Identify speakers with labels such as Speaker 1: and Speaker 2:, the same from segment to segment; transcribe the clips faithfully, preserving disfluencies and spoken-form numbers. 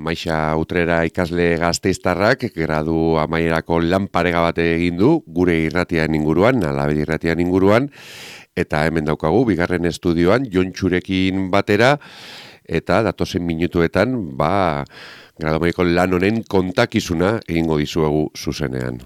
Speaker 1: Maixa Utrera ikasle gasteiztarrak gradu amaierako lan parega bat egin du gure irratian inguruan, Alabedi irratian inguruan, eta hemen daukagu bigarren estudioan Jontxurekin batera, eta datozen minutuetan, ba, gradu amaierako lan honen kontakizuna egingo dizuegu zuzenean.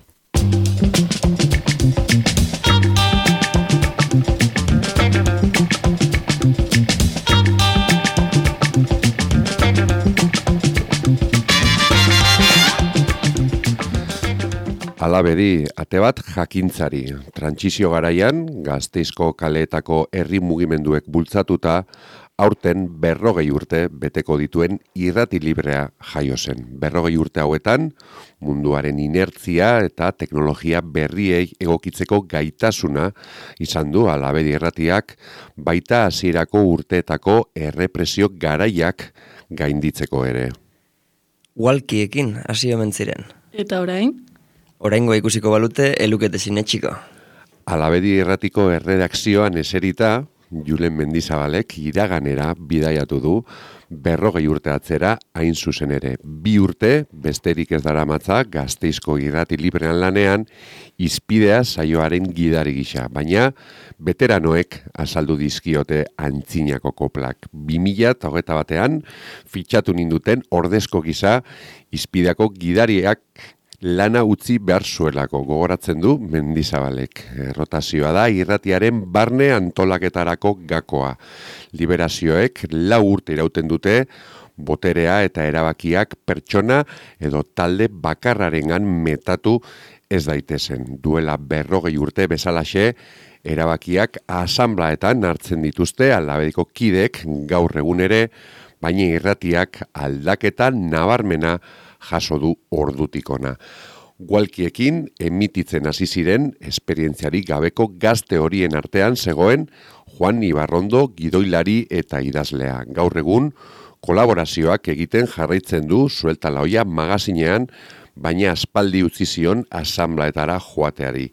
Speaker 1: Alabedi, ate bat jakintzari. Trantsizio garaian, Gasteizko kaleetako herri mugimenduek bultzatuta, aurten berrogei urte beteko dituen irrati librea jaio zen. Berrogei urte hauetan, munduaren inertzia eta teknologia berriei egokitzeko gaitasuna izan du Alabedi irratiak, baita hasierako urteetako errepresio garaiak gainditzeko ere.
Speaker 2: Walkiekin hasi omen ziren.
Speaker 3: Eta orain?
Speaker 2: Oraingoa ikusiko balute elukete sinetxiko.
Speaker 1: Alabedi irratiko erredakzioan eserita, Julen Mendizabalek iraganera bidaiatu du berrogei urte atzera hain zuzen ere. Bi urte, besterik ez daramatza, Gasteizko irrati librean lanean, izpidea saioaren gidari gisa. Baina, veteranoek azaldu dizkiote antzinako koplak. bi mila hogeita batean, fitxatu ninduten ordezko gisa, izpideako gidariak lana utzi behar zuelako, gogoratzen du Mendizabalek. Rotazioa da irratiaren barne antolaketarako gakoa. Liberazioek lau urte irauten dute, boterea eta erabakiak pertsona edo talde bakarrarengan metatu ez daitezen. Duela berrogei urte bezalaxe, erabakiak asanblaetan hartzen dituzte Alabediko kidek gaur egun ere, baina irratiak aldaketa nabarmena jaso du ordutikona. Walkiekin emititzen hasi ziren esperientziari gabeko gazte horien artean zegoen Juan Ibarrondo gidoilari eta idazlea. Gaur egun kolaborazioak egiten jarraitzen du Suelta la olla magazinean, baina aspaldi utzi zion asanblaetara joateari.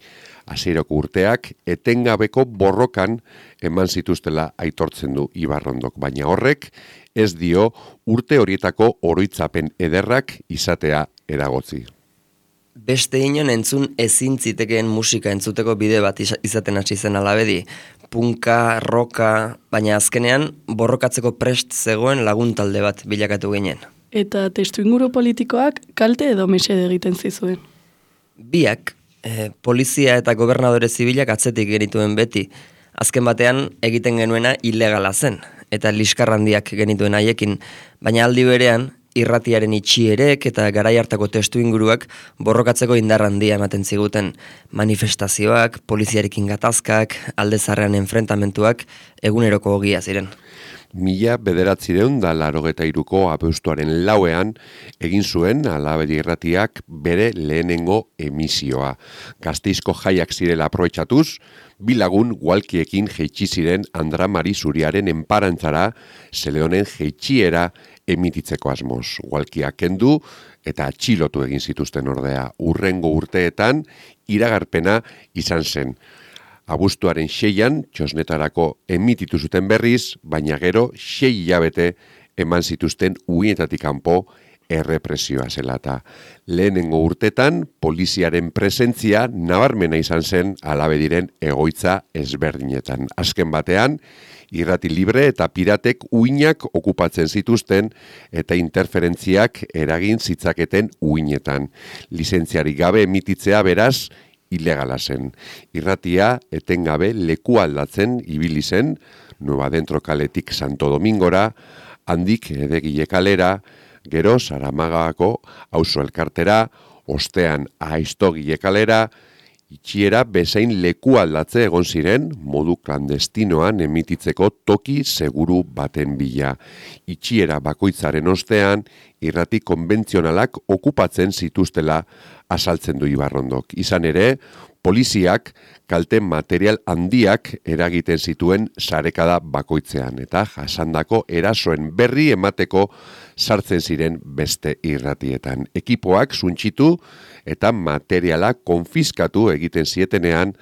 Speaker 1: Hasierako urteak etengabeko borrokan eman zituztela aitortzen du Ibarrondok, baina horrek ez dio urte horietako oroitzapen ederrak izatea eragotzi.
Speaker 2: Beste inon entzun ezin zitekeen musika entzuteko bide bat izaten hasi zen Alabedi. Punka, roka, baina azkenean borrokatzeko prest zegoen laguntalde bat bilakatu ginen.
Speaker 3: Eta testuinguru politikoak kalte edo mesede egiten zizuen.
Speaker 2: Biak, eh, polizia eta gobernadore zibilak atzetik genituen beti. Azken batean egiten genuena ilegala zen, eta liskarrandiak genituen haiekin, baina aldi berean, irratiaren itxierek eta garai hartako testu inguruak borrokatzeko indarrandia ematen ziguten. Manifestazioak, poliziarekin gatazkak, aldezarrean enfrentamentuak eguneroko ogia ziren.
Speaker 1: Mila bederatzireun da larogeta iruko abuztuaren lauean egin zuen Alabedi irratiak bere lehenengo emisioa. Gasteizko jaiak zirela aprobetxatuz, bi lagun walkiekin jeitsi ziren Andra Mari Zuriaren enparantzara Zeleonen jeitxiera emititzeko asmoz. Walkiak kendu eta atxilotu egin zituzten ordea. Urrengo urteetan iragarpena izan zen. Abuztuaren seian, txosnetarako emititu zuten berriz, baina gero sei hilabete eman zituzten uinetatik kanpo errepresioa zelata. Lehenengo urtetan, poliziaren presentzia nabarmena izan zen Alabediren egoitza ezberdinetan. Azken batean, irrati libre eta piratek uinak okupatzen zituzten eta interferentziak eragin zitzaketen uinetan. Lizentziarik gabe emititzea beraz, ilegala zen. Irratia etengabe leku aldatzen ibili zen, Nueva Dentro kaletik Santo Domingora, handik Edegile kalera, gero Saramagako auzo elkartera, ostean Aiztogile kalera, itxiera bezain leku aldatze egon ziren modu klandestinoan emititzeko toki seguru baten bila. Itxiera bakoitzaren ostean, irrati konbentzionalak okupatzen zituztela asaltzen du Ibarrondok. Izan ere, poliziak kalte material handiak eragiten zituen sarekada bakoitzean eta jasandako erasoen berri emateko sartzen ziren beste irratietan. Ekipoak suntxitu eta materiala konfiskatu egiten zietenean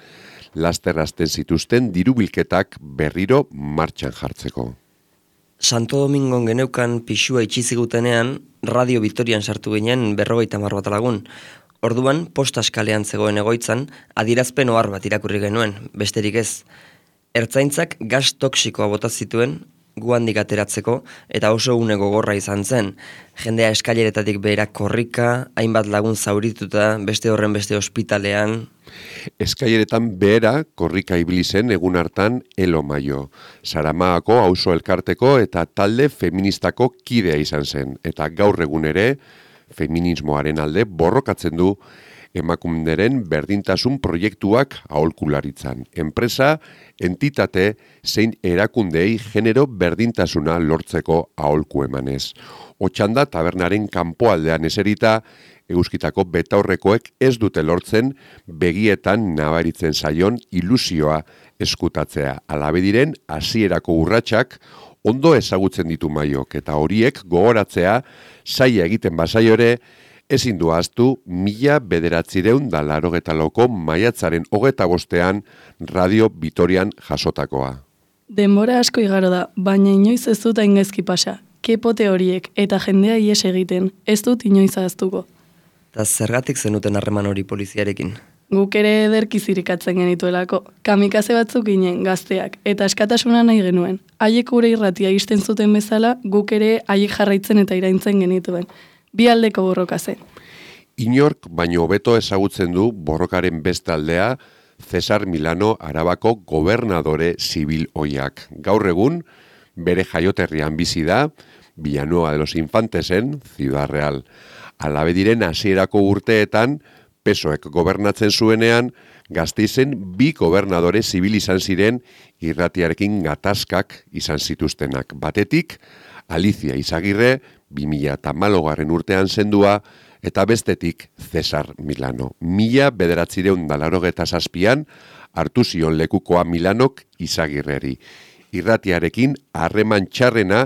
Speaker 1: lasterrazten zituzten dirubilketak berriro martxan jartzeko.
Speaker 2: Santo Domingon geneukan pixua itxizigutenean, Radio Vitorian sartu ginen berrogeita hamar bat lagun. Orduan, postaskalean zegoen egoitzan, adierazpen ohar bat irakurri genuen, besterik ez. Ertzaintzak gas toksikoa bota zituen, guandik ateratzeko, eta oso une gogorra izan zen. Jendea eskaileretatik behera korrika, hainbat lagun zaurituta, beste horren beste ospitalean.
Speaker 1: Eskaileretan behera korrika ibili zen egun hartan Elo Maio. Saramaako auzo elkarteko eta talde feministako kidea izan zen. Eta gaur egun ere, feminismoaren alde borrokatzen du emakunderen berdintasun proiektuak aholkularitzan. Enpresa, entitate, zein erakundei genero berdintasuna lortzeko aholku emanez. Otxanda tabernaren kanpoaldean eserita, Euskitako betaurrekoek ez dute lortzen begietan nabaritzen zaion ilusioa eskutatzea. Alabediren hasierako urratsak ondo ezagutzen ditu Maiok eta horiek gogoratzea zaila egiten bazaio ere ezin du ahaztu mila bederatzireun da laurogeta lauko maiatzaren hogeta bostean Radio Vitorian jasotakoa.
Speaker 3: Denbora asko igaro da, baina inoiz ez dut haingaizki pasa. Kepote horiek eta jendea ies egiten, ez dut inoiz ahaztuko.
Speaker 2: Eta zergatik zenuten harreman hori poliziarekin?
Speaker 3: Guk ere ederki zirikatzen genituelako. Kamikaze batzuk ginen gazteak eta askatasuna nahi genuen. Haiek gure irratia isten zuten bezala, guk ere haiek jarraitzen eta iraintzen genituen. Bi aldeko borroka zen.
Speaker 1: Inork baino hobeto ezagutzen du borrokaren beste aldea Cesar Milano Arabako gobernadore zibil oiak. Gaur egun, bere jaioterrian bizi da, Villanueva de los Infantesen, Ciudad Real. Alabediren hasierako urteetan, pesoek gobernatzen zuenean, Gasteizen bi gobernadore zibil izan ziren irratiarekin gatazkak izan zituztenak. Batetik, Alicia Izagirre, bi mila hamalaugarren urtean zendua, eta bestetik Cesar Milano. Mila bederatzireun da laurogeta zazpian, hartu zion lekukoa Milanok Izagirreri. Irratiarekin harreman txarrena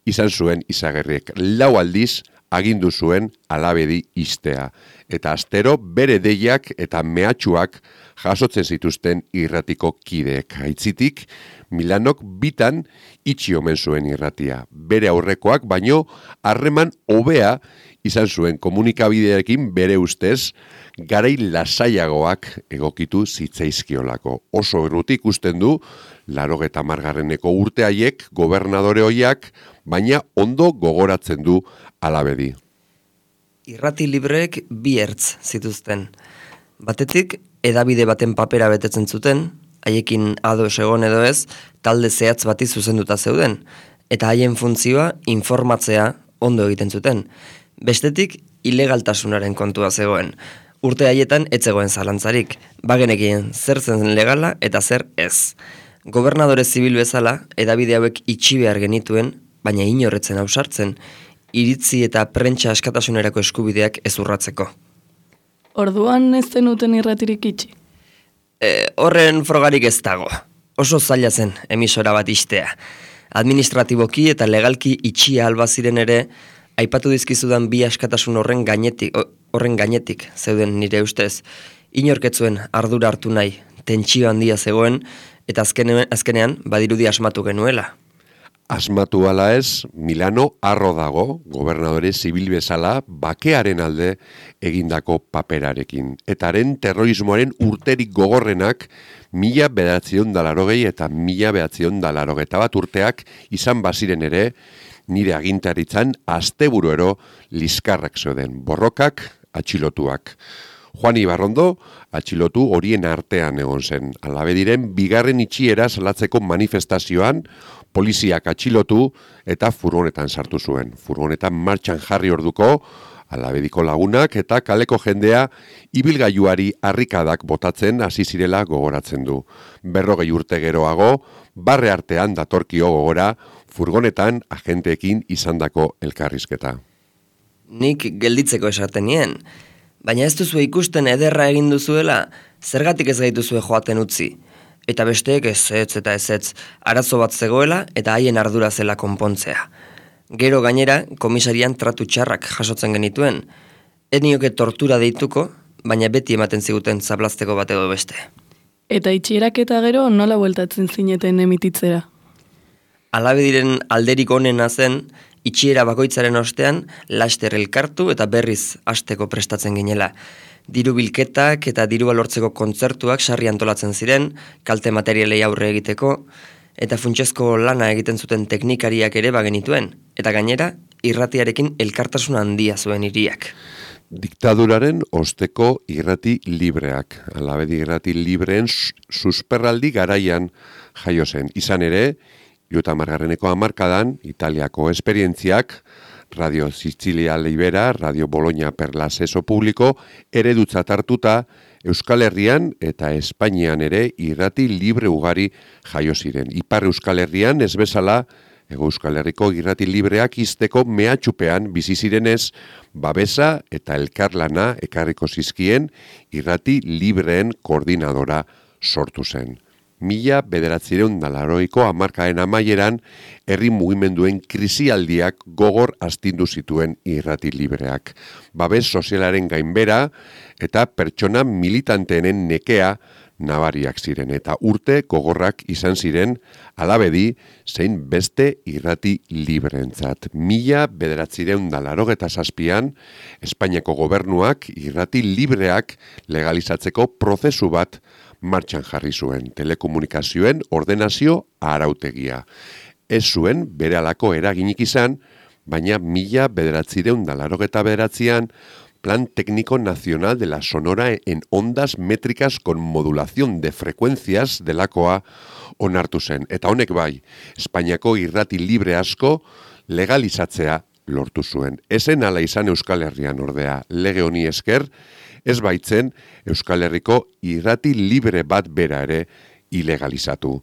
Speaker 1: izan zuen Izagirrek. Lau aldiz, agindu zuen Alabedi ixtea. Eta astero bere deiak eta mehatxuak jasotzen zituzten irratiko kideek. Aitzitik, Milanok bitan itxi omen zuen irratia. Bere aurrekoak baino harreman hobea izan zuen komunikabideekin bere ustez garai lasaiagoak egokitu zitzaizkiolako. Oso errutik ikusten du laurogeta hamargarreneko urte haiek gobernadore hoiak, baina ondo gogoratzen du Alabedi.
Speaker 2: Irrati libreek bi ertz zituzten. Batetik, edabide baten papera betetzen zuten, haiekin ados egon edo ez, talde zehatz bati zuzenduta zeuden, eta haien funtzioa informatzea ondo egiten zuten. Bestetik, ilegaltasunaren kontua zegoen. Urte haietan ez zegoen zalantzarik, bagenekien zer zen legala eta zer ez. Gobernadore zibil bezala, edabide hauek itxi behar genituen, baina inorretzen ausartzen, iritzi eta prentsa askatasunerako eskubideak ez urratzeko.
Speaker 3: Orduan ez zenuten irratirik itxi?
Speaker 2: E, horren frogarik ez dago. Oso zaila zen emisora bat ixtea. Administratiboki eta legalki itxia alba ziren ere, aipatu dizkizudan bi askatasun horren gainetik, horren gainetik zeuden nire ustez. Inorketzuen ardura hartu nahi, tentsio handia zegoen, eta azkenean, azkenean badirudi asmatu genuela.
Speaker 1: Asmatu ala ez, Milano harro dago, gobernadore zibil bezala, bakearen alde egindako paperarekin. Etaren terrorismoaren urterik gogorrenak, mila bederatzion dalarogei eta mila bederatzion dalarogeta bat urteak izan baziren ere, nire agintaritzan asteburuero liskarrak zeuden, borrokak, atxilotuak. Juan Ibarrondo, atxilotu horien artean egon zen. Alabediren bigarren itxiera salatzeko manifestazioan, poliziak atxilotu eta furgonetan sartu zuen. Furgonetan martxan jarri orduko, Alabediko lagunak eta kaleko jendea ibilgailuari harrikadak botatzen hasi zirela gogoratzen du. Berrogei urte geroago, barre artean datorkio gogora, furgonetan agenteekin izandako elkarrizketa.
Speaker 2: Nik gelditzeko esaten nien, baina ez duzu ikusten ederra egin duzuela, zergatik ez gaituzue joaten utzi. Eta besteek ezetz eta ezetz, arazo bat zegoela eta haien ardura zela konpontzea. Gero gainera, komisarian tratu txarrak jasotzen genituen. Ez nioke tortura deituko, baina beti ematen ziguten zablazteko bat edo beste.
Speaker 3: Eta itxierak eta gero nola bueltatzen zineten emititzera?
Speaker 2: Alabediren alderik onena zen, itxiera bakoitzaren ostean, laster elkartu eta berriz hasteko prestatzen ginela. Diru bilketak eta dirua lortzeko kontzertuak sarri antolatzen ziren, kalte materialei aurre egiteko, eta funtsezko lana egiten zuten teknikariak ere bagenituen, eta gainera, irratiarekin elkartasun handia zuen hiriak.
Speaker 1: Diktaduraren osteko irrati libreak. Alabedi irrati libreen susperraldi garaian jaio zen. Izan ere, hirurogeita hamargarreneko hamarkadan, Italiako esperientziak, Radio Sicilia Libera, Radio Bologna per l'accesso público, eredutzat hartuta, Euskal Herrian eta Espainian ere irrati libre ugari jaio ziren. Ipar Euskal Herrian ez bezala, Ego Euskal Herriko irrati libreak izteko mehatxupean bizi zirenez, babesa eta elkarlana ekarriko zizkien irrati libreen koordinadora sortu zen. Mila bederatzireun da laurogeiko hamarkaden amaieran, herri mugimenduen krisialdiak gogor astindu zituen irrati libreak. Babes sozialaren gainbera eta pertsona militanteenen nekea nabariak ziren eta urte gogorrak izan ziren Alabedi zein beste irrati libreentzat. Mila bederatzireun da laurogeta zazpian, Espainiako gobernuak irrati libreak legalizatzeko prozesu bat martxan jarri zuen, telekomunikazioen ordenazio arautegia. Ez zuen berehalako eraginik izan, baina mila bederatzireun da laurogeta bederatzian, Plan Técnico Nacional de la Sonora en Ondas Métricas con Modulación de Frecuencias delakoa onartu zen. Eta honek bai, Espainiako irrati libre asko legalizatzea lortu zuen. Ezen ala izan Euskal Herrian ordea, lege honi esker, ez baitzen Euskal Herriko irrati libre bat bera ere ilegalizatu.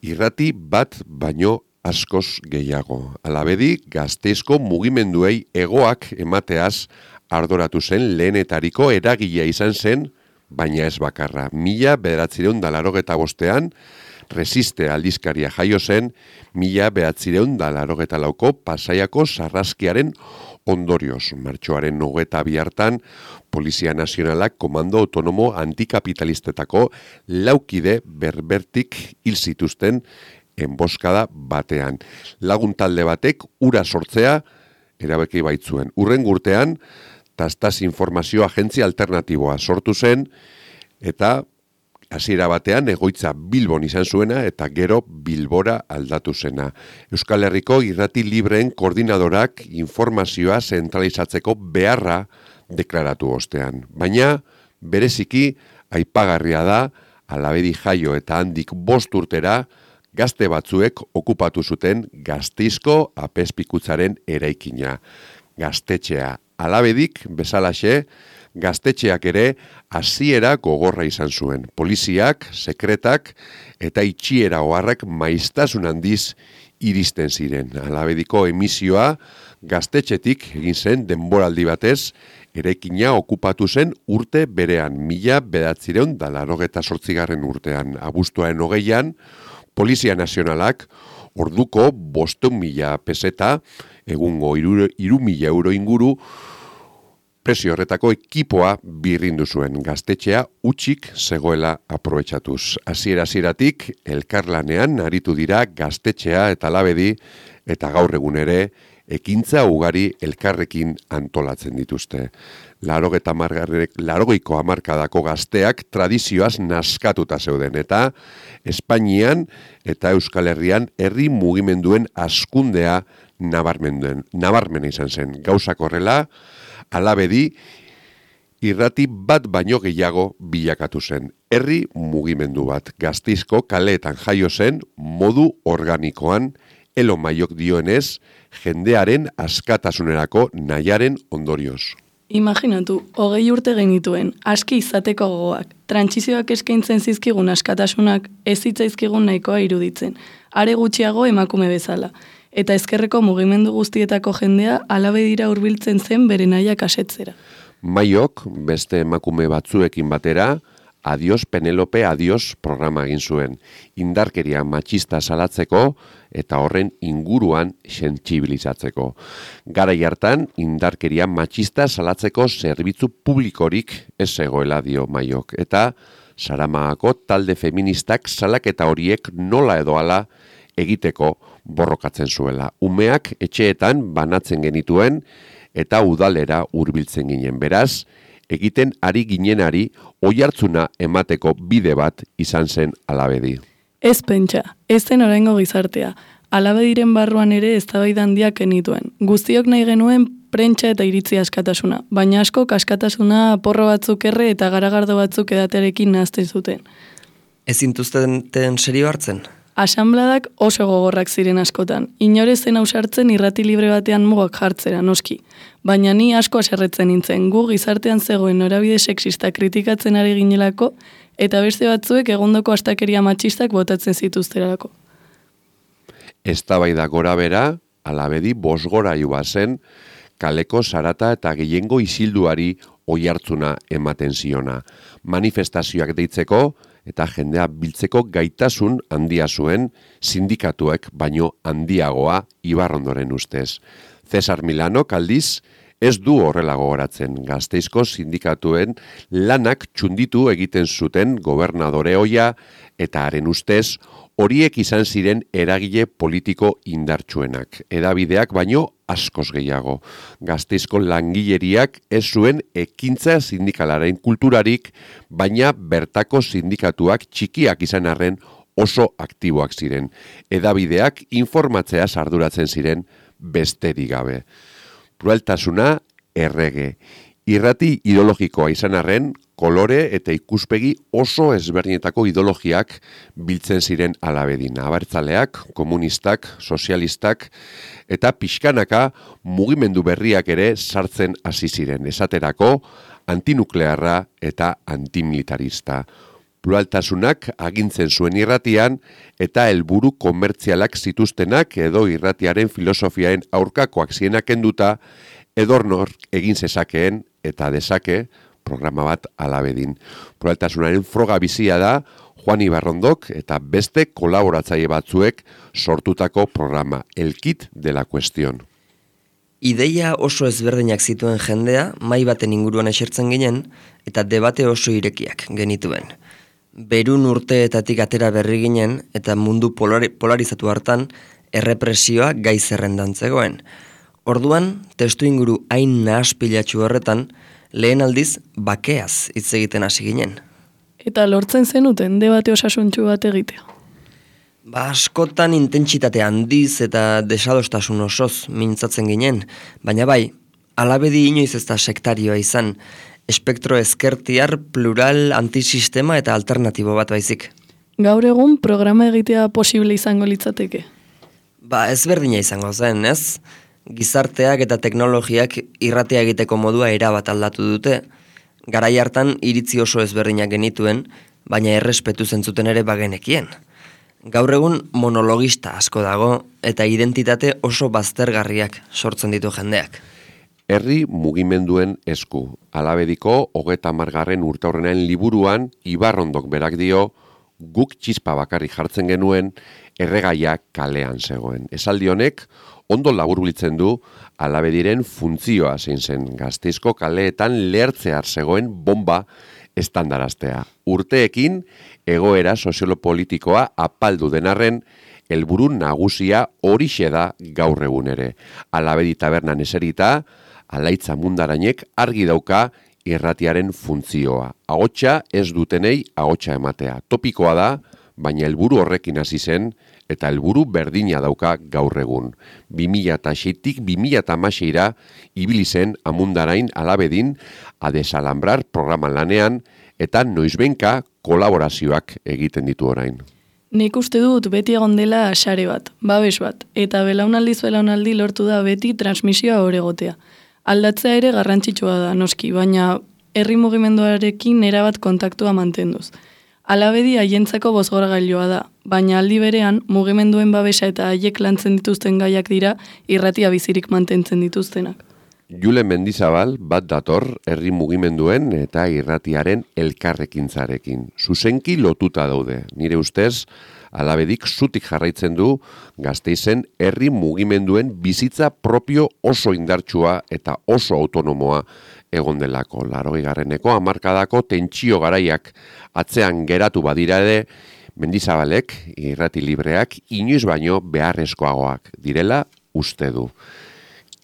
Speaker 1: Irrati bat baino askoz gehiago. Alabedi, Gasteizko mugimenduei hegoak emateaz ardoratu zen lehenetariko eragilea izan zen, baina ez bakarra. Mila bederatzireun da laurogeta bostean, Resiste aldizkaria jaio zen, mila bederatzireun da laurogeta lauko Pasaiako sarraskiaren ondorioz. Martxoaren hogeta bi hartan, Polizia Nazionalak Komando Autonomo Antikapitalistetako laukide berbertik hil zituzten enboskada batean. Lagun talde batek ura sortzea erabaki baitzuen. Urren urtean, Tastaz Informazio Agentzia Alternatiboa sortu zen, eta hasiera batean egoitza Bilbon izan zuena eta gero Bilbora aldatu zena. Euskal Herriko irrati libreen koordinadorak informazioa zentralizatzeko beharra deklaratu ostean. Baina, bereziki, aipagarria da, Alabedi jaio eta handik bost urtera, gazte batzuek okupatu zuten Gasteizko apezpikutzaren eraikina. Gaztetxea Alabedik bezalaxe, gaztetxeak ere hasiera gogorra izan zuen. Poliziak, sekretak eta itxiera oharrak maiztasun handiz iristen ziren. Alabediko emisioa gaztetxetik egin zen denboraldi batez, eraikina okupatu zen urte berean, mila bederatzireun da laurogeta zortzigarren urtean. Abuztuaren hogeian, Polizia Nazionalak orduko bostehun mila peseta, egungo hiru mila euro inguru, presio horretako ekipoa birrindu zuen, gaztetxea utxik zegoela aprobetxatuz. Hasiera-hasieratik elkarlanean aritu dira gaztetxea eta Alabedi, eta gaur egun ere ekintza ugari elkarrekin antolatzen dituzte. Laurogeta laurogeiko hamarkadako gazteak tradizioaz naskatuta zeuden, eta Espainian eta Euskal Herrian herri mugimenduen askundea nabarmena izan zen. Gauzak horrela, Alabedi irrati bat baino gehiago bilakatu zen. Herri mugimendu bat, Gasteizko kaleetan jaio zen modu organikoan, Elo Maiok dioenez, jendearen askatasunerako nahiaren ondorioz.
Speaker 3: Imaginatu, hogei urte genituen, aski izateko gogoak, trantsizioak eskaintzen zizkigun askatasunak ez zitzaizkigun nahikoa iruditzen, are gutxiago emakume bezala, eta ezkerreko mugimendu guztietako jendea Alabedira hurbiltzen zen bere nahiak asetzera.
Speaker 1: Maiok, beste emakume batzuekin batera, Adios Penelope Adios programa egin zuen, indarkeria matxista salatzeko eta horren inguruan sentsibilizatzeko. Garai hartan, indarkeria matxista salatzeko zerbitzu publikorik ez zegoela dio Maiok, eta Saramagako talde feministak salaketa horiek nola edo hala egiteko borrokatzen zuela. Umeak etxeetan banatzen genituen eta udalera hurbiltzen ginen. Beraz, egiten ari ginenari oihartzuna emateko bide bat izan zen Alabedi.
Speaker 3: Ez pentsa, ez zen oraingo gizartea. Alabediren barruan ere eztabaida handiak genituen. Guztiok nahi genuen prentsa eta iritzi askatasuna, baina asko askatasuna porro batzuk erre eta garagardo batzuk edatearekin nahazten zuten.
Speaker 2: Ez zintuzten serio hartzen?
Speaker 3: Asanbladak oso gogorrak ziren askotan. Inore zen ausartzen irrati libre batean mugak jartzera, noski. Baina ni asko aserretzen nintzen, gu gizartean zegoen norabide sexista kritikatzen ari ginelako, eta beste batzuek egondoko astakeria matxistak botatzen zituzterako.
Speaker 1: Eztabaida gora bera, Alabedi bosgorailu bazen, kaleko zarata eta gehiengo isilduari oihartzuna ematen ziona. Manifestazioak deitzeko eta jendea biltzeko gaitasun handia zuen sindikatuek baino handiagoa Ibarrondoren ustez. Cesar Milanok aldiz ez du horrela gogoratzen. Gasteizko sindikatuen lanak txunditu egiten zuten gobernadore ohia eta haren ustez horiek izan ziren eragile politiko indartsuenak. Edabideak baino askoz gehiago. Gasteizko langileriak ez zuen ekintza sindikalaren kulturarik, baina bertako sindikatuak txikiak izan arren oso aktiboak ziren. Edabideak informatzea arduratzen ziren besterik gabe. Pluraltasuna errege. Irrati ideologikoa izan arren, kolore eta ikuspegi oso ezberdinetako ideologiak biltzen ziren Alabedin. Abertzaleak, komunistak, sozialistak eta pixkanaka mugimendu berriak ere sartzen hasi ziren. Esaterako antinuklearra eta antimilitarista. Pluraltasunak agintzen zuen irratian eta helburu komertzialak zituztenak edo irratiaren filosofiaen aurkakoak zienak enduta edornor egin zezakeen eta dezake programa bat Alabedin. Pluraltasunaren froga bizia da Juan Ibarrondok eta beste kolaboratzaile batzuek sortutako programa, El Kit de la Cuestión.
Speaker 2: Ideia oso ezberdinak zituen jendea, mai baten inguruan esertzen ginen, eta debate oso irekiak genituen. Berun urteetatik atera berri ginen, eta mundu polari, polarizatu hartan, errepresioa gai zerrendan zegoen. Orduan, testu inguru hain nahaspilatxu horretan, lehen aldiz bakeaz hitz egiten hasi ginen.
Speaker 3: Eta lortzen zenuten debate osasuntxu bat egitea.
Speaker 2: Ba, askotan intentsitate handiz eta desadostasun osoz mintzatzen ginen, baina bai, Alabedi inoiz ez da sektarioa izan, espektro ezkertiar, plural, antisistema eta alternatibo bat baizik.
Speaker 3: Gaur egun programa egitea posible izango litzateke.
Speaker 2: Ba, ezberdina izango zen, ez? Gizarteak eta teknologiak irratea egiteko modua erabat aldatu dute. Garai hartan iritzi oso ezberdinak genituen, baina errespetu zentzuten ere bagenekien. Gaur egun monologista asko dago eta identitate oso baztergarriak sortzen ditu jendeak.
Speaker 1: Herri mugimenduen esku. Alabediko hogeta margarren urteurrenen liburuan Ibarrondok berak dio, guk txispa bakarrik jartzen genuen, erregaia kalean zegoen. Esaldi honek ondo laburbiltzen du Alabediren funtzioa zein zen. Gasteizko kaleetan lehertzear zegoen bomba estandaraztea. Urteekin egoera soziolopolitikoa apaldu denarren, helburu nagusia horixe da gaur egun ere. Alabedi tabernan eserita, Alaitza Mundarainek argi dauka irratiaren funtzioa. Ahotsa ez dutenei ahotsa ematea. Topikoa da, baina helburu horrekin hasi zen, eta helburu berdina dauka gaur egun. bi mila seitik bi mila hamaseira ibili zen Amundarain Alabedin a desalambrar programan lanean eta noizbenka kolaborazioak egiten ditu orain.
Speaker 3: Nik uste dut beti egon dela sare bat, babes bat, eta belaunaldiz belaunaldi lortu da beti transmisioa oregotea. Aldatzea ere garrantzitsua da, noski, baina herri mugimenduarekin erabat kontaktua mantenduz. Alabedi haientzako bozgorgailoa da, baina aldi berean mugimenduen babesa eta haiek lantzen dituzten gaiak dira irratia bizirik mantentzen dituztenak.
Speaker 1: Jule Mendizabal bat dator herri mugimenduen eta irratiaren elkarrekintzarekin. Zuzenki lotuta daude. Nire ustez, Alabedik zutik jarraitzen du Gasteizen herri mugimenduen bizitza propio oso indartsua eta oso autonomoa egon delako. Laurogeigarreneko hamarkadako tentsio garaiak atzean geratu badira ere, Mendizabalek irrati libreak inoiz baino beharrezkoagoak direla uste du.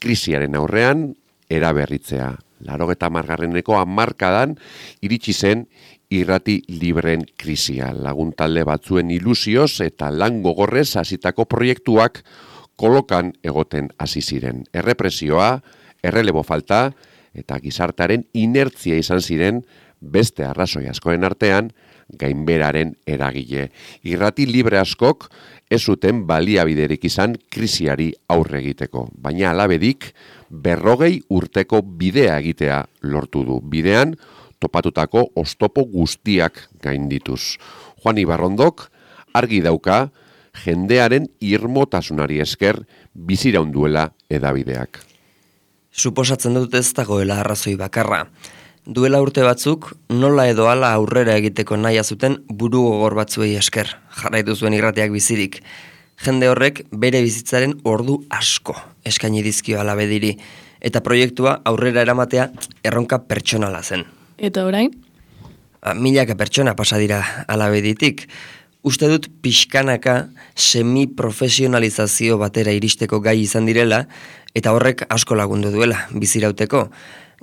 Speaker 1: Krisiaren aurrean eraberritzea. Laurogeta hamargarreneko hamarkadan iritsi zen irrati libreen krisia. Laguntalde batzuen ilusioz eta lan gogorrez hasitako proiektuak kolokan egoten hasi ziren. Errepresioa, errelebo falta eta gizartearen inertzia izan ziren beste arrazoi askoen artean gainberaren eragile. Irrati libre askok ez zuten baliabiderik izan krisiari aurre egiteko, baina alabedik berrogei urteko bidea egitea lortu du. Bidean topatutako oztopo guztiak gaindituz. Juan Ibarrondok argi dauka jendearen irmotasunari esker biziraunduela edabideak.
Speaker 2: Suposatzen dut ez dagoela arrazoi bakarra. Duela urte batzuk, nola edo hala aurrera egiteko nahia zuten buru gogor batzuei esker, jarraitu zuen irratiak bizirik. Jende horrek bere bizitzaren ordu asko eskaini dizkio Alabediri, eta proiektua aurrera eramatea erronka pertsonala zen.
Speaker 3: Eta orain?
Speaker 2: A, milaka pertsona pasa dira Alabeditik. Uste dut pixkanaka semi-profesionalizazio batera iristeko gai izan direla, eta horrek asko lagundu duela bizirauteko.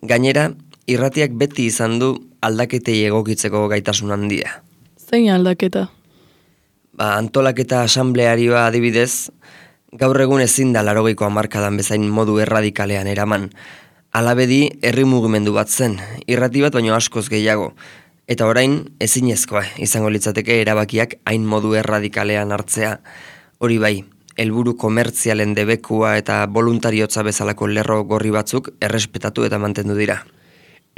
Speaker 2: Gainera, irratiak beti izan du aldaketei egokitzeko gaitasun handia.
Speaker 3: Zein aldaketa?
Speaker 2: Ba, antolaketa asamblearioa adibidez, gaur egun ezin da laurogeiko hamarkadan bezain modu erradikalean eraman. Alabedi herri mugimendu bat zen, irrati bat baino askoz gehiago, eta orain ezinezkoa izango litzateke erabakiak hain modu erradikalean hartzea. Hori bai, helburu komertzialen debekua eta voluntariotza bezalako lerro gorri batzuk errespetatu eta mantendu dira.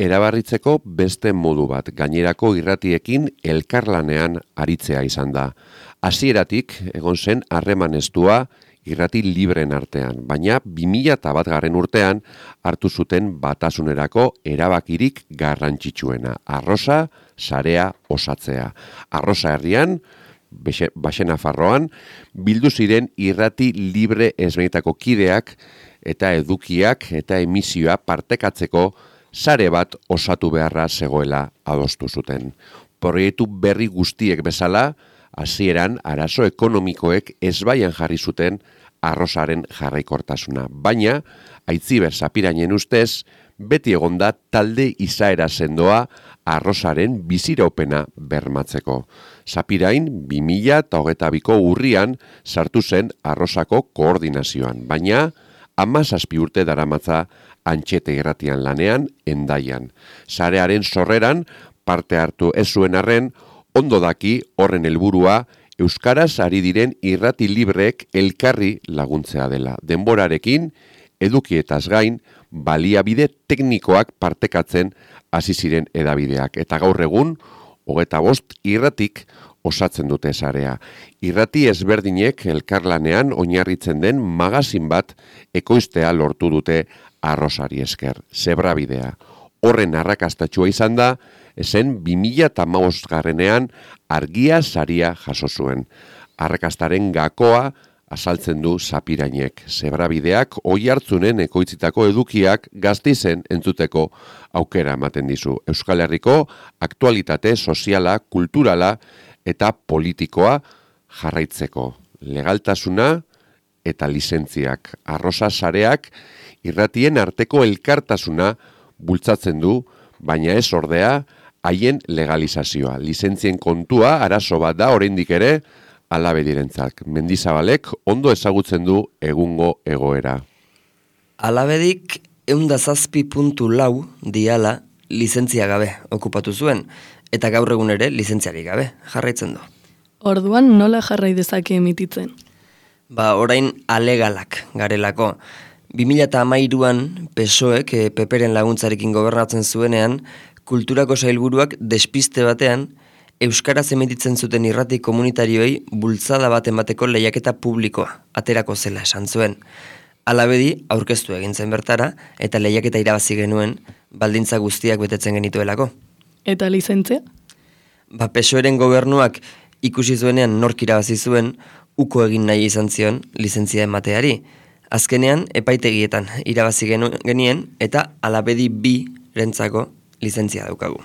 Speaker 1: Erabarritzeko beste modu bat, gainerako irratiekin elkarlanean aritzea izan da. Hasieratik egon zen harreman estua irrati libreen artean, baina bi mila bat garren urtean hartu zuten batasunerako erabakirik garrantzitsuena, arrosa sarea osatzea. Arrosa herrian, Baxenafarroan, bildu ziren irrati libre ezberdinetako kideak eta edukiak eta emisioa partekatzeko sare bat osatu beharra zegoela adostu zuten. Proiektu berri guztiek bezala, hasieran arazo ekonomikoek ezbaian jarri zuten arrosaren jarraikortasuna. Baina, Aitziber Sapirainen ustez, beti egonda talde izaera sendoa arrosaren biziraupena bermatzeko. Sapirain, bi mila hogeita biko urrian sartu zen arrosako koordinazioan, baina hamazazpi urte daramatza Antxete irratian lanean, Hendaian. Sarearen sorreran parte hartu ez zuen arren, ondo daki horren helburua euskaraz ari diren irrati libreek elkarri laguntzea dela. Denborarekin, edukietaz gain, baliabide teknikoak partekatzen hasi ziren edabideak. Eta gaur egun, hogeita bost irratik osatzen dute sarea. Irrati ezberdinek elkarlanean oinarritzen den magazin bat ekoiztea lortu dute arrosari esker, Zebrabidea. Horren arrakastatxua izan da, esen bi mila hamabost garrenean argia saria jaso zuen. Arrakastaren gakoa azaltzen du Sapirainek. Zebrabideak oihartzunen ekoitzitako edukiak Gasteizen entzuteko aukera ematen dizu. Euskal Herriko aktualitate soziala, kulturala eta politikoa jarraitzeko. Legaltasuna eta lizentziak. Arrosa sareak irratien arteko elkartasuna bultzatzen du, baina ez ordea haien legalizazioa. Lizentzien kontua arazo bat da oraindik ere Alabedirentzat. Mendizabalek ondo ezagutzen du egungo egoera.
Speaker 2: Alabedik ehun zazpi puntu lau diala lizentzia gabe okupatu zuen, eta gaur egun ere lizentziarik gabe jarraitzen du.
Speaker 3: Orduan nola jarrai dezake emititzen?
Speaker 2: Ba, orain alegalak garelako. bi mila hamairuan P S O Ek P Pren laguntzarekin gobernatzen zuenean, kulturako sailburuak despiste batean euskaraz emititzen zuten irrati komunitarioei bultzada bat emateko lehiaketa publikoa aterako zela esan zuen. Alabedi aurkeztu egin zen bertara eta lehiaketa irabazi genuen baldintza guztiak betetzen genituelako.
Speaker 3: Eta lizentzia?
Speaker 2: Ba, P S O Eren gobernuak ikusi zuenean nork irabazi zuen, uko egin nahi izan zion lizentzia emateari. Azkenean, epaitegietan irabazi genuen, genien eta Alabedi bi rentzako lizentzia daukagu.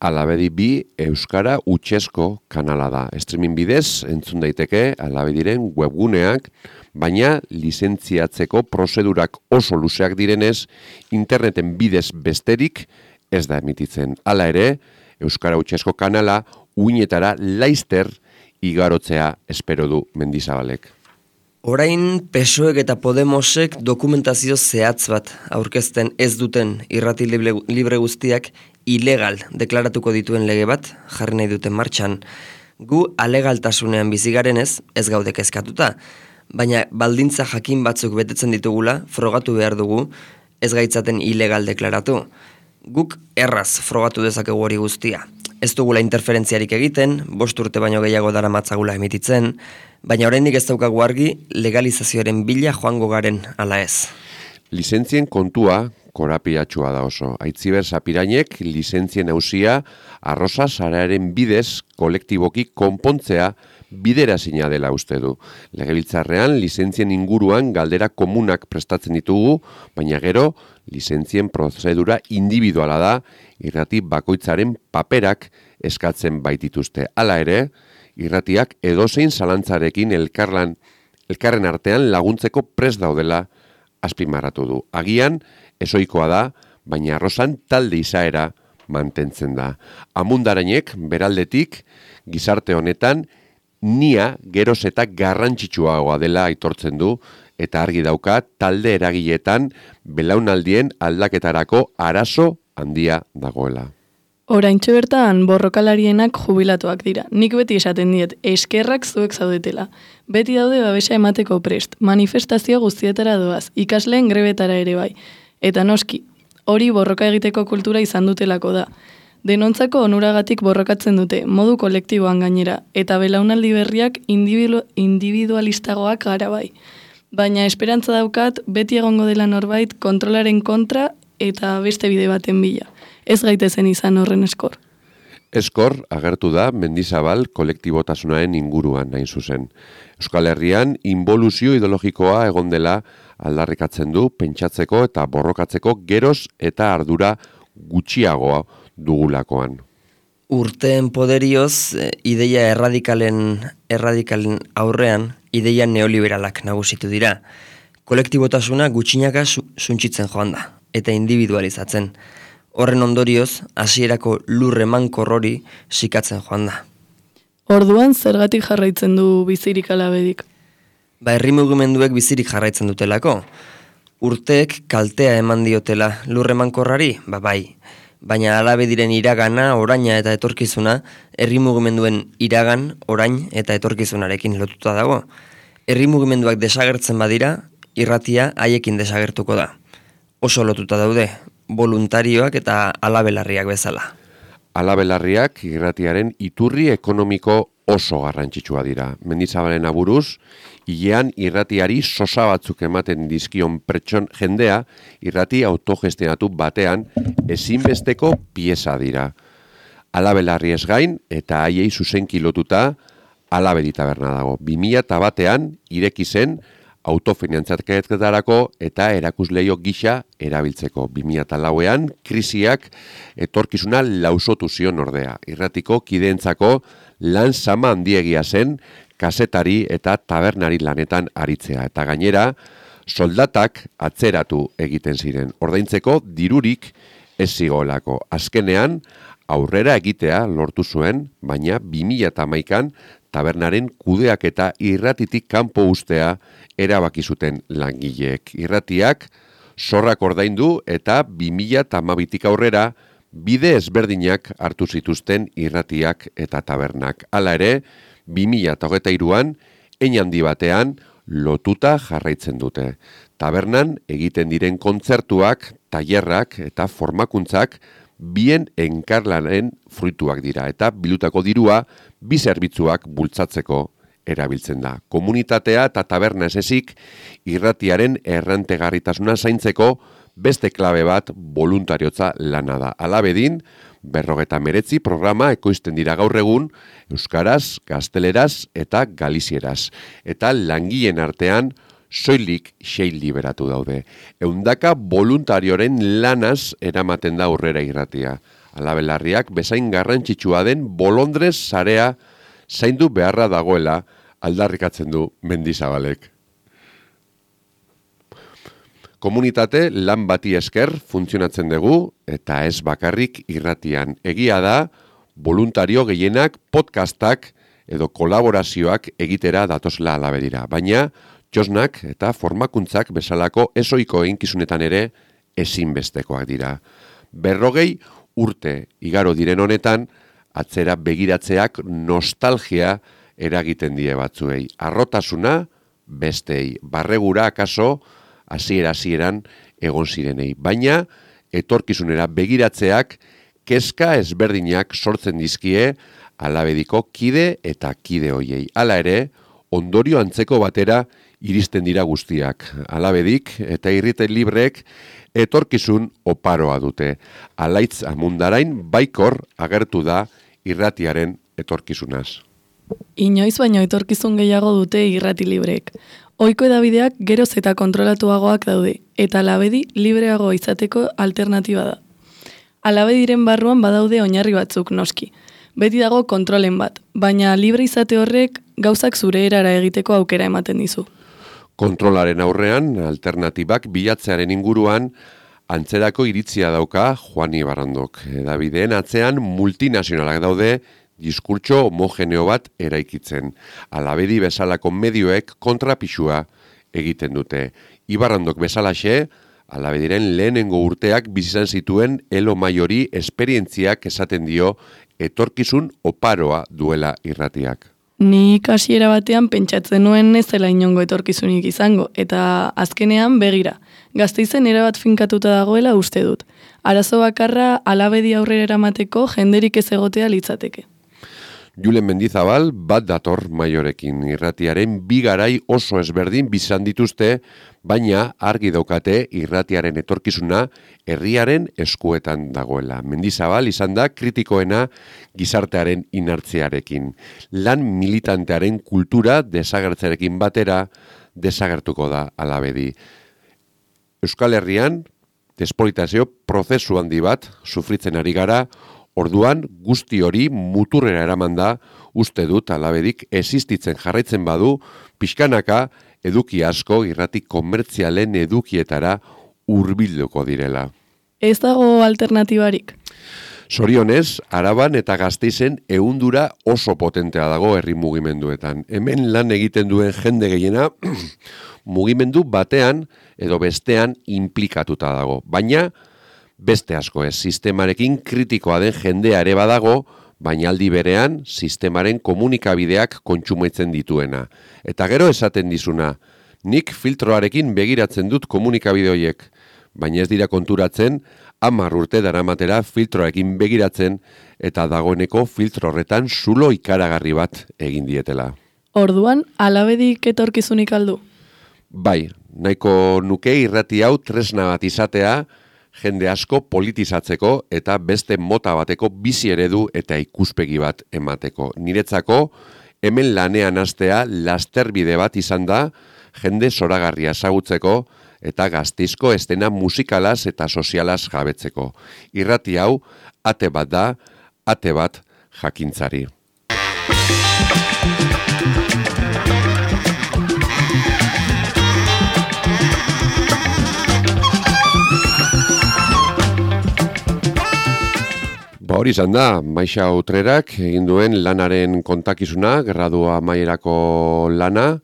Speaker 1: Alabedi bi Euskara Utsesko kanala da. Streaming bidez entzun daiteke Alabediren webguneak, baina lizentziatzeko prozedurak oso luzeak direnez, interneten bidez besterik ez da emititzen. Hala ere, Euskara Utsesko kanala uinetara laizter igarotzea espero du Mendizabalek.
Speaker 2: Orain P S O Ek eta Podemosek dokumentazio zehatz bat aurkezten ez duten irrati libre, libre guztiak ilegal deklaratuko dituen lege bat jarri nahi duten martxan. Gu alegaltasunean bizigarenez ez gaude kezkatuta, baina baldintza jakin batzuk betetzen ditugula frogatu behar dugu ez gaitzaten ilegal deklaratu. Guk erraz frogatu dezakegu hori guztia. Ez dugula interferentziarik egiten, bost urte baino gehiago dara matzagula emititzen, baina oraindik ez daukagu argi legalizazioaren bila joango garen ala ez.
Speaker 1: Lizentzien kontua korapilatxua da oso. Aitziber Sapirainek lizentzien ausia arrosa sarearen bidez kolektiboki konpontzea biderazina dela uste du. Legebiltzarrean lizentzien inguruan galdera komunak prestatzen ditugu, baina gero lizentzien prozedura individuala da, irrati bakoitzaren paperak eskatzen baitituzte. Hala ere, irratiak edozein zalantzarekin elkarlan, elkarren artean laguntzeko prest daudela azpimarratu du. Agian, ezoikoa da, baina arrosan talde izaera mantentzen da. Amundarainek, beraldetik, gizarte honetan, nia geroz eta garrantzitsuagoa dela aitortzen du, eta argi dauka talde eragiletan belaunaldien aldaketarako arazo handia dagoela.
Speaker 3: Oraintxe bertan borrokalarienak jubilatuak dira. Nik beti esaten diet, eskerrak zuek zaudetela. Beti daude babesa emateko prest, manifestazio guztietara doaz, ikasleen grebetara ere bai. Eta noski, hori borroka egiteko kultura izan dutelako da. Denontzako onuragatik borrokatzen dute, modu kolektiboan gainera, eta belaunaldi berriak individu, individualistagoak gara bai. Baina esperantza daukat, beti egongo dela norbait kontrolaren kontra eta beste bide baten bila. Ez gaitezen izan horren eskor.
Speaker 1: Eskor agertu da Mendizabal kolektibotasunaren inguruan hain zuzen. Euskal Herrian involuzio ideologikoa egon dela aldarrikatzen du pentsatzeko eta borrokatzeko geroz eta ardura gutxiagoa dugulakoan.
Speaker 2: Urteen poderioz, ideia erradikalen, erradikalen aurrean, ideia neoliberalak nagusitu dira. Kolektibotasuna gutxinaka suntsitzen joan da, eta individualizatzen. Horren ondorioz, hasierako lurre mankorrori sikatzen joan da.
Speaker 3: Orduan, zergatik jarraitzen du bizirik Alabedik?
Speaker 2: Ba, herri mugimenduek bizirik jarraitzen dutelako. Urteek kaltea eman diotela lurre mankorrari, ba bai. Baina Alabediren iragana, oraina eta etorkizuna, herri mugimenduen iragan, orain eta etorkizunarekin lotuta dago. Herri mugimenduak desagertzen badira, irratia haiekin desagertuko da. Oso lotuta daude, voluntarioak eta alabelarriak bezala.
Speaker 1: Alabelarriak irratiaren iturri ekonomiko oso garrantzitsua dira. Mendizabalen aburuz, hilean irratiari sosa batzuk ematen dizkion pertson jendea, irrati autogestionatu batean ezinbesteko pieza dira. Alabelarri ez gain eta haiei zuzenki lotuta Alabedi taberna dago. bi mila batean ireki zen autofinantzaketarako eta erakusleio gisa erabiltzeko. bi mila lauean krisiak etorkizuna lausotu zion ordea. Irratiko kideentzako lan sama handiegia zen kazetari eta tabernari lanetan aritzea. Eta gainera, soldatak atzeratu egiten ziren. Ordaintzeko dirurik ez zigolako. Azkenean, aurrera egitea lortu zuen, baina bi mila hamaikan tabernaren kudeak eta irratitik kanpo ustea erabaki zuten langileek. Irratiak zorrak ordaindu eta bi mila hamabitik aurrera bide ezberdinak hartu zituzten irratiak eta tabernak. Hala ere, bi mila hogeita hiruan hein handi batean lotuta jarraitzen dute. Tabernan egiten diren kontzertuak, tailerrak eta formakuntzak bien enkarlanaren fruituak dira eta bilutako dirua bi zerbitzuak bultzatzeko erabiltzen da. Komunitatea eta taberna ez ezik irratiaren errantegarritasuna zaintzeko beste klabe bat voluntariotza lana da. Alabedin, berrogeta meretzi programa ekoizten dira gaur egun euskaraz, gazteleraz eta galizieraz. Eta langileen artean soilik sei liberatu daude. Eundaka voluntarioren lanaz eramaten da aurrera irratia. Alabelarriak bezain garrantzitsua den bolondrez sarea zaindu beharra dagoela aldarrikatzen du Mendizabalek. Komunitate lan bati esker funtzionatzen dugu eta ez bakarrik irratian. Egia da, voluntario gehienak podcastak edo kolaborazioak egitera datosla Alabedira. Baina, txosnak eta formakuntzak bezalako ezoiko einkizunetan ere ezinbestekoak dira. Berrogei urte igaro diren honetan, atzera begiratzeak nostalgia eragiten die batzuei. Arrotasuna bestei, barregura akaso hasiera-hasieran egon zirenei. Baina, etorkizunera begiratzeak kezka ezberdinak sortzen dizkie Alabediko kide eta kide hoiei. Hala ere, ondorio antzeko batera iristen dira guztiak. Alabedik eta irriten libreek etorkizun oparoa dute. Alaitz Amundarain baikor agertu da irratiaren etorkizunaz.
Speaker 3: Inoiz baino etorkizun gehiago dute irrati libreek. Ohiko edabideak geroz eta kontrolatuagoak daude, eta Alabedi libreago izateko alternatiba da. Alabediren barruan badaude oinarri batzuk noski. Beti dago kontrolen bat, baina libre izate horrek gauzak zure erara egiteko aukera ematen dizu.
Speaker 1: Kontrolaren aurrean, alternatibak bilatzearen inguruan, antzerako iritzia dauka Juani Barrandok. Edabideen atzean multinazionalak daude, diskurtso homogeneo bat eraikitzen. Alabedi bezalako medioek kontrapixua egiten dute. Ibarrandok bezalaxe, Alabediren lehenengo urteak bizizan zituen elo maiori esperientziak esaten dio etorkizun oparoa duela irratiak.
Speaker 3: Ni kasiera batean pentsatzen nuen ez zela inongo etorkizunik izango, eta azkenean begira. Gasteizen erabat finkatuta dagoela uste dut. Arazo bakarra Alabedi aurrera eramateko jenderik ez egotea litzateke.
Speaker 1: Julen Mendizabal bat dator maiorekin. Irratiaren bi garai oso ezberdin bizan dituzte, baina argi daukate irratiaren etorkizuna herriaren eskuetan dagoela. Mendizabal izan da kritikoena gizartearen inartzearekin. Lan militantearen kultura desagertzearekin batera desagertuko da Alabedi. Euskal Herrian despolitazio prozesu handi bat sufritzen ari gara. Orduan, guzti hori muturrera eraman da, uste dut Alabedik existitzen jarraitzen badu, pixkanaka eduki asko irrati komertzialen edukietara hurbilduko direla.
Speaker 3: Ez dago alternatibarik.
Speaker 1: Zorionez, Araban eta Gasteizen ehundura oso potentea dago herri mugimenduetan. Hemen lan egiten duen jende gehiena mugimendu batean edo bestean inplikatuta dago. Baina, beste asko ez, sistemarekin kritikoa den jendea ere badago, baina aldi berean sistemaren komunikabideak kontsumetzen dituena. Eta gero esaten dizuna, nik filtroarekin begiratzen dut komunikabide horiek, baina ez dira konturatzen, hamar urte daramatera filtroarekin begiratzen eta dagoeneko filtro horretan zulo ikaragarri bat egin dietela.
Speaker 3: Orduan, Alabedik etorkizunik aldu?
Speaker 1: Bai, nahiko nuke irrati hau tresna bat izatea, jende asko politizatzeko eta beste mota bateko bizi eredu eta ikuspegi bat emateko. Niretzako, hemen lanean hastea lasterbide bat izan da, jende zoragarria ezagutzeko eta Gasteizko estena musikalaz eta sozialaz jabetzeko. Irrati hau, ate bat da, ate bat jakintzari. Ba hori izan da, Maixa Utrerak egin duen lanaren kontakizuna, gradua amaierako lana.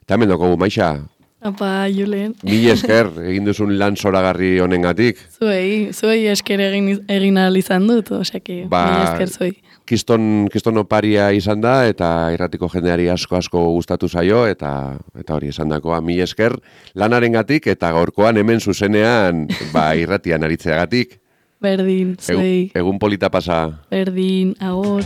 Speaker 1: Eta hemen dugu, Maixa.
Speaker 3: Apa, Julen.
Speaker 1: Mil esker egin duzun lan zoragarri honengatik.
Speaker 3: Zuei, zuei esker egin, egin ahal izan dut, oseki,
Speaker 1: ba,
Speaker 3: mil esker zuei.
Speaker 1: Kiston, kiston oparia izan da, eta irratiko jendeari asko-asko gustatu zaio, eta eta hori esan dakoa, mil esker lanarengatik, eta gaurkoan hemen zuzenean ba, irratian aritzeagatik.
Speaker 3: Berdin, zuei.
Speaker 1: Egun, egun polita pasa.
Speaker 3: Berdin, agor.